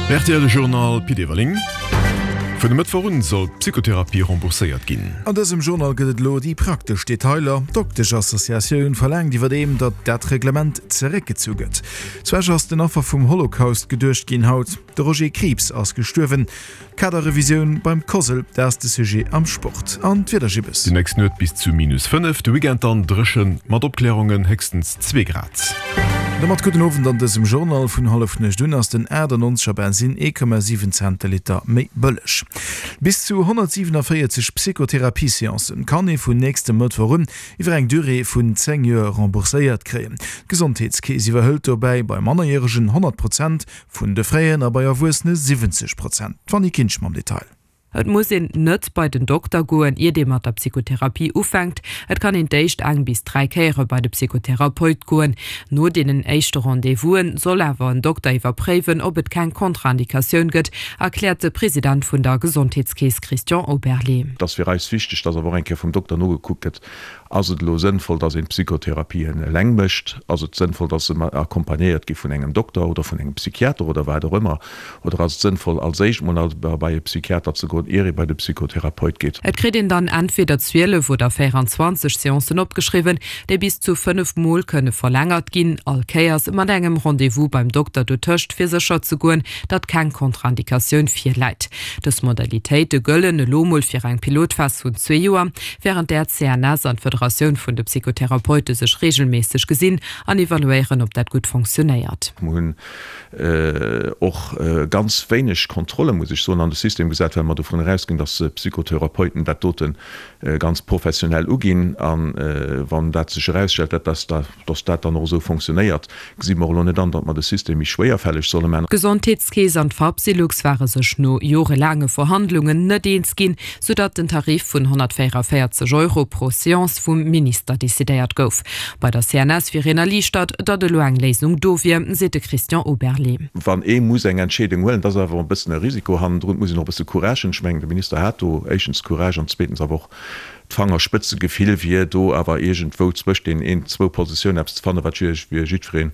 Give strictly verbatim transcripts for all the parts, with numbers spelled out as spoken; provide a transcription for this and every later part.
Rtl Journal Pit Everling. Vun e Mëttwoch un soll d'Psychotherapie rembourséiert ginn. An dësem Journal gëtt et elo déi praktesch Detailer. D'Doktesch-Associatioun verlaangt iwwerdeem, datt dat Reglement zeréckgezu gëtt. Zu Esch ass den Affer vum Holocaust geduecht ginn haut. De Roger Krieps ass gestuerwen. Kaderrevisioun beim COSL, dat ass de Sujet am Sport. An d'Wiedergibbes. Déi nächst Nuet bis zu minus fënnef, de Weekend dann dréchen mat Opklärungen, héchstens zwee Grad. Domat gudden Owend an dësem Journal. Vun hallef nuecht un ass den achtannonzeger Bensin ee Komma siwen Cent de Liter méi bëlleg. Bis zu honnertsiwenavéierzeg Psychotherapie-Seancen kann ee vun nächstem Mëttwoch un iwwer eng Durée vun zéng Joer rembourséiert kréien. D'Gesondheetskeess iwwerhëlt dobäi bei Mannerjäregen honnert Prozent vun de Fräen a bei Erwuessene siwwenzeg Prozent. D'Fanny Kinsch mam Detail. Et muss een net bei den Dokter goen, iert ee mat der Psychotherapie ufänkt. Et kann een d'éischt eng bis dräi Kéiere bei de Psychotherapeut goen. No deenen éischte Rendez-vous'en soll awer en Dokter iwwerpréiwen, ob et keng Kontraindikatioun gëtt, erkläert de President vun der Gesondheetskeess Christian Oberlé. Et ass fir eis wichteg, dass awer och eng Kéier vum Dokter nogekuckt gëtt, Ass et elo sënnvoll, dass een d'Psychotherapien eleng mécht? Ass et sënnvoll, dass se accompagnéiert gi vun engem Dokter oder vun engem Psychiater oder wat och ëmmer? Oder ass et sënnvoll, als éischt mol bei e Psychiater ze goen, ier ee bei de Psychotherapeut geet? Et kritt een dann entweder zwielef oder véieranzwanzeg Seancen opgeschriwwen, déi bis zu fënnef Mol kënne verlängert ginn, all Kéiers mat engem Rendez-vous beim Dokter dotëscht, fir sécher ze goen, datt keng Kontraindikatioun virläit. Dës Modalitéite gëllen elo mol fir eng Pilotphas vun zwee Joer, wärend där d'CNS an d'Federatioun vun de Psychotherapeute sech reegelméisseg gesinn an evaluéieren, ob dat gutt fonctionéiert. Mer hunn och ganz wéineg Kontrolle, muss ech soen, an de System gesat, well mer dovun erausginn, dass d'Psychotherapeuten dat dote ganz professionell uginn. A wann dat sech erausstellt, dass dat dann och esou fonctionéiert, gesi mer och elo net an, datt mer de System méi schwéierfälleg solle man. D'Gesondheetskeess an d'Fapsylux ware sech no jorelaange Verhandlungen net eens ginn, soudatt den Tarif vun honnertvéieranvéierzeg Euro pro Seance vum Minister decidéiert gouf. Bei der C N S wier een erliichtert, datt elo eng Léisung do wier, seet de Christian Oberlé. Wann ee muss eng Entscheedung huelen, dat ass awer e bëssen e Risiko hannendrun, et muss een och e bësse Courage hunn. Ech mengen, de Minister hat do éischtens Courage an zweetens awer och d'Fangerspëtzegefill, fir do awer iergendwou zwëscht deenen zwou Positiounen eppes ze fannen, wat fir jiddwereen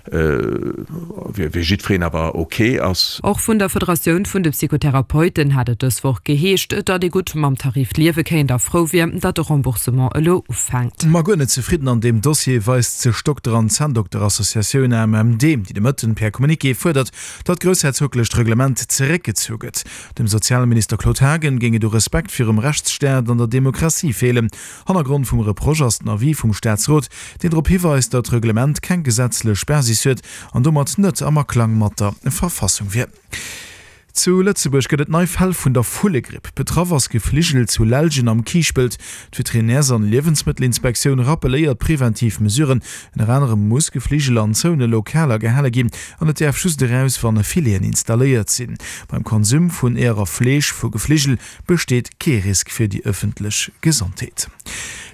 fir jiddwereen awer ok ass. Och vun der Federatioun vun de Psychotherapeuten hat et dës Woch geheescht, datt ee gutt mam Tarif liewe kéint a frou wier, datt de Remboursement elo ufänkt. Ma guer net zefridden an deem Dossier weist sech d'Dokter an Zänndokterassociatioun A M M D, déi de Mëtten per Communiqué fuerdert, datt d'groussherzoglecht Reglement zeréckgezu gëtt. Dem Sozialminister Claude Haagen géing et u Respekt virum Rechtsstaat an der Demokratie feelen. Hannergrond vum Reproche ass den Avis vum Staatsrot, deen drop hiweist, datt d'Reglement keng gesetzlech Basis huet an domat net am Aklang mat der Verfassung wier. Zu Lëtzebuerg gëtt et nei Fäll vun der Vullegripp. Betraff ass Gefligel zu Lellgen am Kiischpelt. D'Veterinärs an Liewensmëttelinspektioun rappelléiert preventiv Mesuren. Ënner anerem muss Gefligel an zoune Lokaler gehale ginn an et däerf just eraus, wann Fileten installéiert sinn. Beim Konsum vun Eeër a Fleesch vu Gefligel besteet kee Risk fir déi ëffentlech Gesondheet.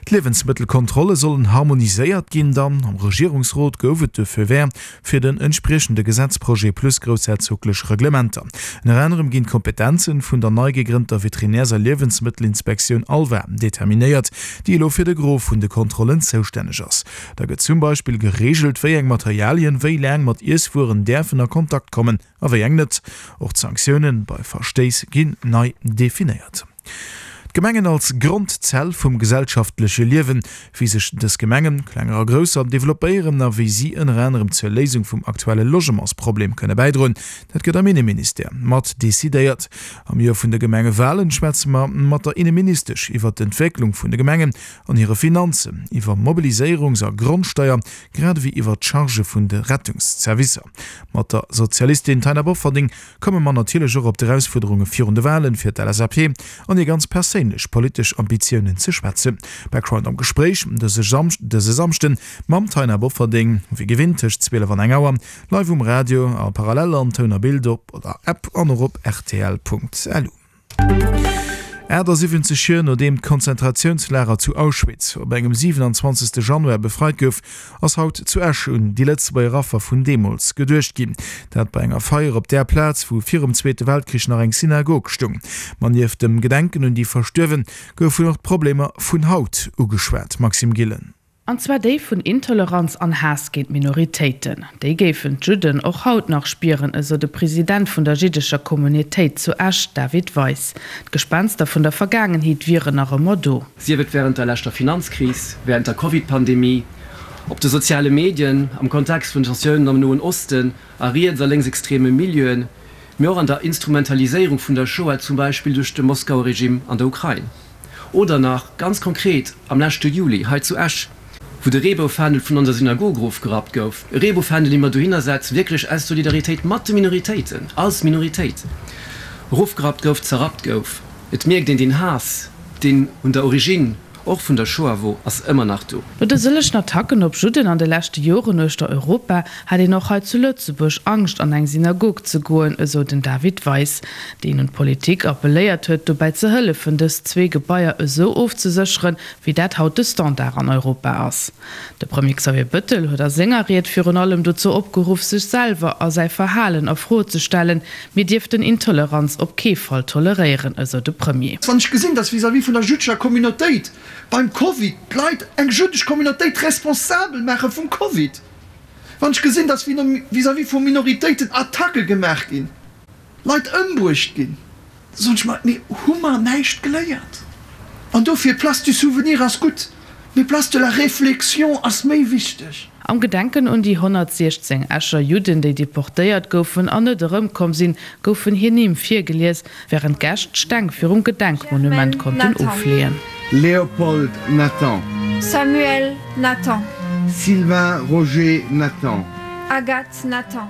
D'Liewensmëttelkontrolle sollen harmoniséiert ginn. Dann am Regierungsrot gouf et de Feu vert fir den entspriechende Gesetzprojet plus groussherzoglech Reglementer. Ënner anerem ginn d'Kompetenzen vun der nei gegrënnter Veterinärs a Liewensmëttelinspektioun ALVA determinéiert, déi elo fir de Gros vun de Kontrollen zoustänneg ass. Da gëtt zum Beispill gereegelt, wéi eng Materialien wéi laang mat Iesswueren däerfen a Kontakt kommen a wéi eng net. Och d'Sanktioune bei Verstéiss ginn nei definéiert. D'Gemengen als Grondzell vum gesellschaftleche Liewen, wéi sech dës Gemengen, klenger a grousser, developpéieren a wéi si ënner anerem zur Léisung vum aktuelle Logementsproblem kënne bäidroen, dat gëtt am Inneministère mat decidéiert. Am Joer vun de Gemengewalen schwätze mer mat der Inneministesch iwwer d'Entwécklung vun de Gemengen an hire Finanzen, iwwer Mobiliséierungs a Grondsteier, grad ewéi iwwer d'Chargë vun de Rettungszervicer. Mat der Sozialistin Taina Bofferding komme mer natierlech och op d'Erausfuerderunge virun de Walen fir d'L S A P an hir ganz perséinlech politesch Ambitiounen ze schwätzen. Background am Gespréich dëse Samschden mam Taina Bofferding, wéi gewinnt tëscht zwielef an eng Auer, live um Radio a parallel an Toun a Bild op der App an och op rtl Punkt lu. achtasiwwenzeg Joer nodeem d'Konzentratiounslager zu Auschwitz op engem siwenanzwanzegste Januar befreit gouf, ass haut zu Esch un déi Lëtzebuerger Affer vun deemools geduecht ginn. Dat bei enger Feier op där Plaz, wou virum Zweete Weltkrich nach eng Synagog stung. Ma nieft dem Gedenken un déi Verstuerwen goufen och d'Problemer vun haut ugeschwat. Maxime Gillen. An zwar déi vun Intoleranz an Haass géint Minoritéiten. Déi géifen d'Judden och haut nach spieren, esou de President vun der jiddescher Communautéit zu Esch, David Weis. D'Gespenster vun der Vergaangenheet wieren nach ëmmer do. Sief et wärend der leschter Finanzkris, wärend der Covid-Pandemie, op de soziale Medien, am Kontext vun Tensiounen am Noen Osten, a riets a lénksextreme Milieuen, mee och an der Instrumentaliséierung vun der Shoah, zum Beispill duerch de Moskauer Regime an der Ukrain. Oder nach ganz konkret am leschte Juli hei zu Esch, wou de Reeboufändel vun onser Synagog erofgerappt gouf, e Reeboufändel, dee mer dohinner setzen, wierklech aus Solidaritéit mat de Minoritéiten, als Minoritéit, erofgerappt gouf, zerrappt gouf. Et mierkt een, deen Haass, deen un der Origine och vun der Shoah wor, ass ëmmer nach do. No de sëllegen Attacken op Judden an de leschte Joren uechter Europa hat een och hei zu Lëtzebuerg Angscht an eng Synagog ze goen, esou den David Weis, deen un d'Politik appelléiert huet, dobäi ze hëllefen, dës zwee Gebaier esou ofzesécheren, wéi dat haut de Standard an Europa ass. De Premier Xavier Bëttel huet a senger Ried virun allem dozou opgeruff, sech selwer a säi Verhalen a Fro ze stellen. Mir dierften Intoleranz op kee Fall toleréieren, esou de Premier. Wann ech gesinn, dass vis-à-vis vun der jüddescher Communautéit beim Covid d'Leit eng jüddesch Communautéit responsabel maache vum Covid, wann ech gesinn, dass vis-à-vis vu Minoritéiten Attacke gemaach ginn, Leit ëmbruecht ginn, da soen ech mer, mee hu mer näischt geléiert? An dofir, Place du souvenir ass gutt, mee Place de la réflexion ass méi wichteg. Am Gedenken un déi honnertsiechzéng Escher Judden, déi deportéiert goufen an net erëmkomm sinn, goufen hir Nimm virgelies, wärend d'Gäscht d'Steng virum Gedenkmonument Germaine konnten Nathan. ofleeën. Léopold Nathan. Samuel Nathan. Sylvain Roger Nathan. Agathe Nathan.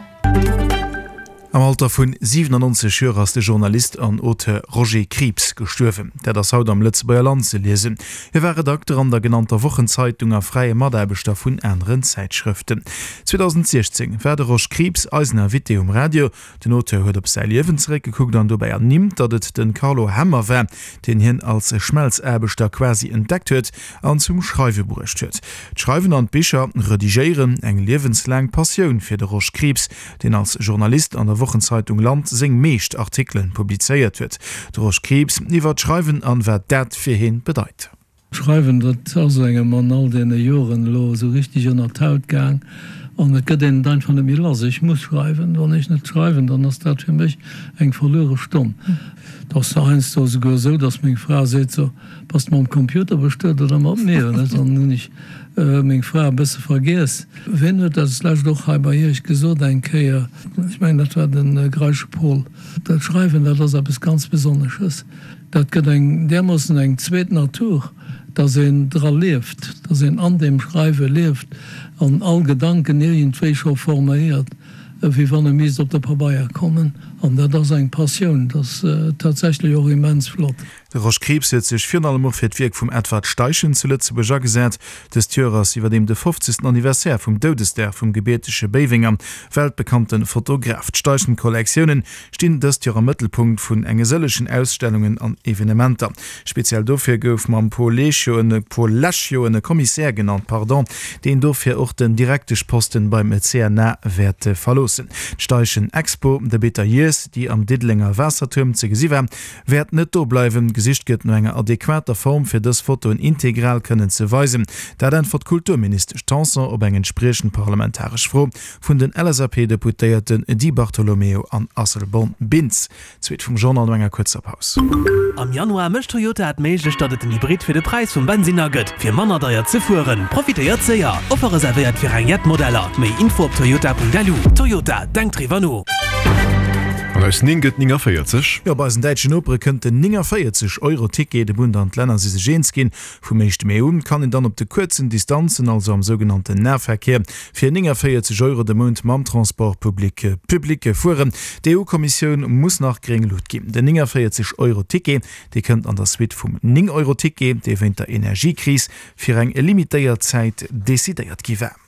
Am Alter vun siwenannonzeg Joer ass de Journalist an Auteur Roger Krieps gestuerwen. Dat ass haut am Lëtzebuerger Land ze liesen. Hie war Redakter an der genannter Wochenzeitung a fräie Mataarbechter vun aneren Zäitschrëften. zweedausentsiechzéng war de Rosch Krieps eisen Invité um Radio. Den Auteur huet op säi Liewen zeréckgekuckt an dobäi ernimmt, datt et de Carlo Hemmer war, deen hien als Schmelzaarbechter quasi entdeckt huet an zum Schreiwe bruecht huet. D'Schreiwen an d'Bicher redigéieren, eng liewenslaang Passioun fir de Rosch Krieps, deen als Journalist an der Wochenzeitung Land seng meescht Artikelen publizéiert huet. De Rosch Krieps iwwer d'Schreiwen an wat dat fir hien bedeit. D'Schreiwen, dat ass engem an all deene Joren elo esou richteg ënnert d'Haut gaang an et gëtt een et einfach net méi lass. Ech muss schreiwen. Wann ech net schreiwen, dann ass dat fir mech eng verluere Stonn. Et ass heiansdo esouguer esou, datt meng Fra seet, So, bass de mam Computer bestuet oder mat mir? Dann hunn ech meng Fra e bësse vergiess. Wien huet dat deslescht och hei bei Iech gesot eng Kéier? Ech mengen, dat war de Greische Paul. Dat Schreiwen, dat ass eppes ganz Besonnesches. Dat gëtt eng därmoossen eng zweet Natur, dass een dra lieft, dass een an deem Schreiwe lieft an all Gedanken iergendwéi scho forméiert, wéi wann e misst op de Pabeier kommen. An dat ass eng Passioun, dat ass tatsächlech och immens flott. De Rosch Krieps huet sech virun allem och fir d'Wierk vum Edward Steichen zu Lëtzebuerg agesat. Dëst Joer ass iwwerdeem de fofzegsten Anniversaire vum Doudesdag vum gebiertege Béiwenger, weltbekannte Fotograf. D'Steichen-Kollektiounen stinn dëst Joer am Mëttelpunkt vun enge sëllegen Ausstellungen an Evenementer. Speziell dofir gouf mam Paul Leschio en Paul Leschio en Commissaire genannt, pardon, deen dofir och den Direkteschposten beim C N A wäert verloossen. D'Steichen Expo The Bitter Years, déi am Diddelenger Waassertuerm ze gesi war, wäert net do bleiwen. Gesicht gëtt no enger adequater Form, fir dës Fotoen integral kënnen ze weisen. Dat äntwert d'Kulturministesch Tanson op eng entspriechend parlamentaresch Fro vun den L S A P-Deputéierten Di Bartolomeo an Asselborn-Bintz. D'Suite vum Journal no enger kuerzer Paus. Am Januar mécht Toyota et méiglech, datt et den Hybrid fir de Präis vum Bensinner gëtt, fir manner deier ze fueren. Profitéiert séier! Offer reservéiert fir eng jett Modeller. Méi Info op toyota.lu. Toyota, denkt driwwer no! An aus néng gëtt néngavéierzeg. Jo, bei eisen däitschen Nopere kënnt den néngavéierzeg Euro Ticket. De Bund an d'Länner si sech eens ginn. Vum éischte Mee un kann een dann op de kuerzen Distanzen, also am sougenannten Nahverkehr, fir néngavéierzeg Euro de Mount mam Transport public public fueren. D'E U-Kommissioun muss nach gréng Lut ginn. Den néngavéierzeg Euro Ticket, dee kënnt an der Suite vum néng Euro Ticket, dee wéint der Energiekris fir eng limitéiert Zäit decidéiert gi war.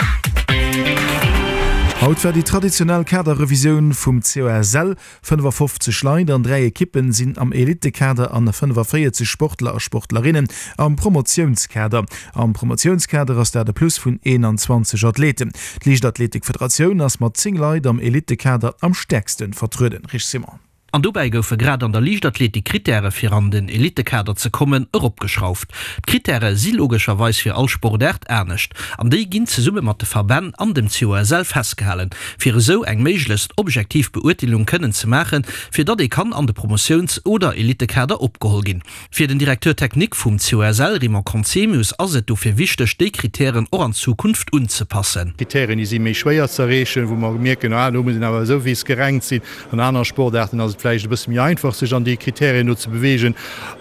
Haut war déi traditionell Kaderrevisioun vum C O S L. fënnefafofzeg Leit an dräi Ekippen sinn am Elitekader an fënnefaféierzeg Sportler a Sportlerinnen am Promotiounskader. Am Promotiounskader ass dat e Plus vun eenanzwanzeg Athleten. D'Liichtathletikfederatioun ass mat zéng Leit am Elitekader am stäerkste vertrueden. Rich Simon. An dobäi goufe grad an der Liichtathletik d'Krittäre fir an den Elittekader ze kommen eropgeschrauft. D'Krittäre si logescherweis fir all Sportaart anescht an déi ginn zesumme mat de Verbänn an dem C O S L festgehalen, fir esou eng méiglechst objektiv Beurteelung kënnen ze maachen, fir datt ee kann an de Promotiouns oder Elittekader opgeholl ginn. Fir den Directeur technique vum C O S L Raymond Conzemius ass et dofir wichteg, déi Krittären och an Zukunft unzepassen. Krittären, déi si méi schwéier ze erreechen, wou mer mierken, ah do muss een awer esou wéi gerankt sinn. An anere Sportaarten ass et vläicht e bësse méi einfach, sech an déi Kriterien do ze beweegen.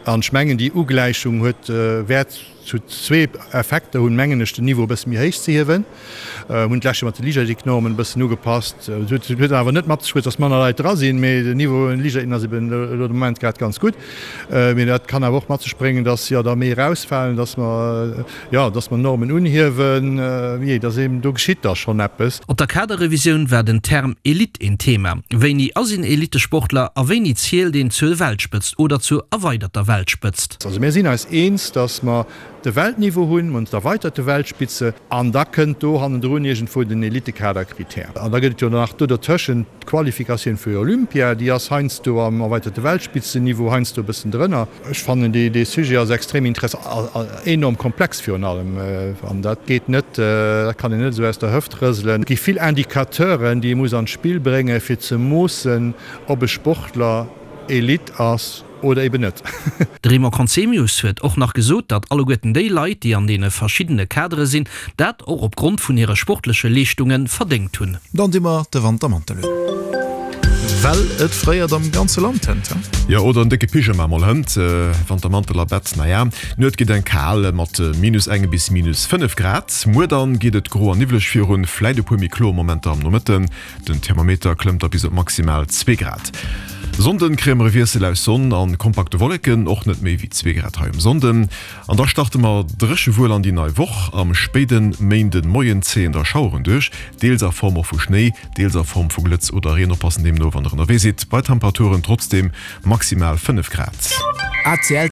An ech mengen, déi Ugläichung huet wäert zu zwee Effekter hunn, mengen ech, den Niveau e bësse méi héich ze hiewen. Mir hunn d'lescht Joer mat de Liichtathletiknormen e bëssen ugepasst. Et huet awer net mat sech bruecht, dass manner Leit dra sinn, mee den Niveau an de Liichtathleten ass eben elo de Moment grad ganz gutt. Mee dat kann awer och mat sech bréngen, dass jo der méi erausfalen, dass mer, jo, dass mer Normen unhiewen. Jee, dass eben do geschitt da schonn eppes. Op der Kaderrevisioun war den Term Elite een Thema. Wéini ass een Elitesportler a wéini zielt een zur Weltspëtzt oder zur erweiderter Weltspëtzt? Also mir sinn eis eens, dass mer de Weltniveau hunn, mer hunn d'erweiterte Weltspitze an da kënnt do hannendrun iergendwou den Elitekaderkritär. An da gëtt et jo nach do dertëschent d'Qualifikatioun fir Olympia, déi ass heiansdo am erweiterte Weltspitzenniveau, heiansdo e bëssen drënner. Ech fannen, dee Sujet ass extrem interessant a enorm komplex virun allem. An dat geet net, dat kann een net esou aus der Hëft rëselen. Et gi vill Indicateuren, déi ee muss an d'Spill bréngen, fir ze moossen, ob e Sportler Elite ass oder eben net. De Raymond Conzemius huet och nach gesot, datt alleguerten déi Leit, déi an deene verschiddene Kadere sinn, dat och op Grond vun hire sportleche Leeschtunge verdéngt hunn. Dann di mer de Wantermantel un. Well et fréiert am ganze Land hënt, he? Jo, oder en décke Pyjama mol hënt. Wantermantel a Bett, naja. D'Nuet geet enk kal mat minus engem bis minus fënnef Grad. Muer dann geet et gro an niwwleg virun, vläit e puer méi kloer Momenter am Nomëtten. Den Thermometer klëmmt da bis op maximal zwee Grad. Sonnden kréie mer e Wiessel aus Sonn an kompakte Wolleken, och net méi wéi zwee Grad hei um Sonnden. An da starte mer dréche wuel an déi nei Woch. Am spéide Méinden Moien zéien da Schaueren duerch, deels a Form och vu Schnéi, deels a Form vu Glëtz oder Reen. Oppassen deemno wann der ënnerwee sidd, bei Temperaturen trotzdeem maximal fënnef Grad. A C L.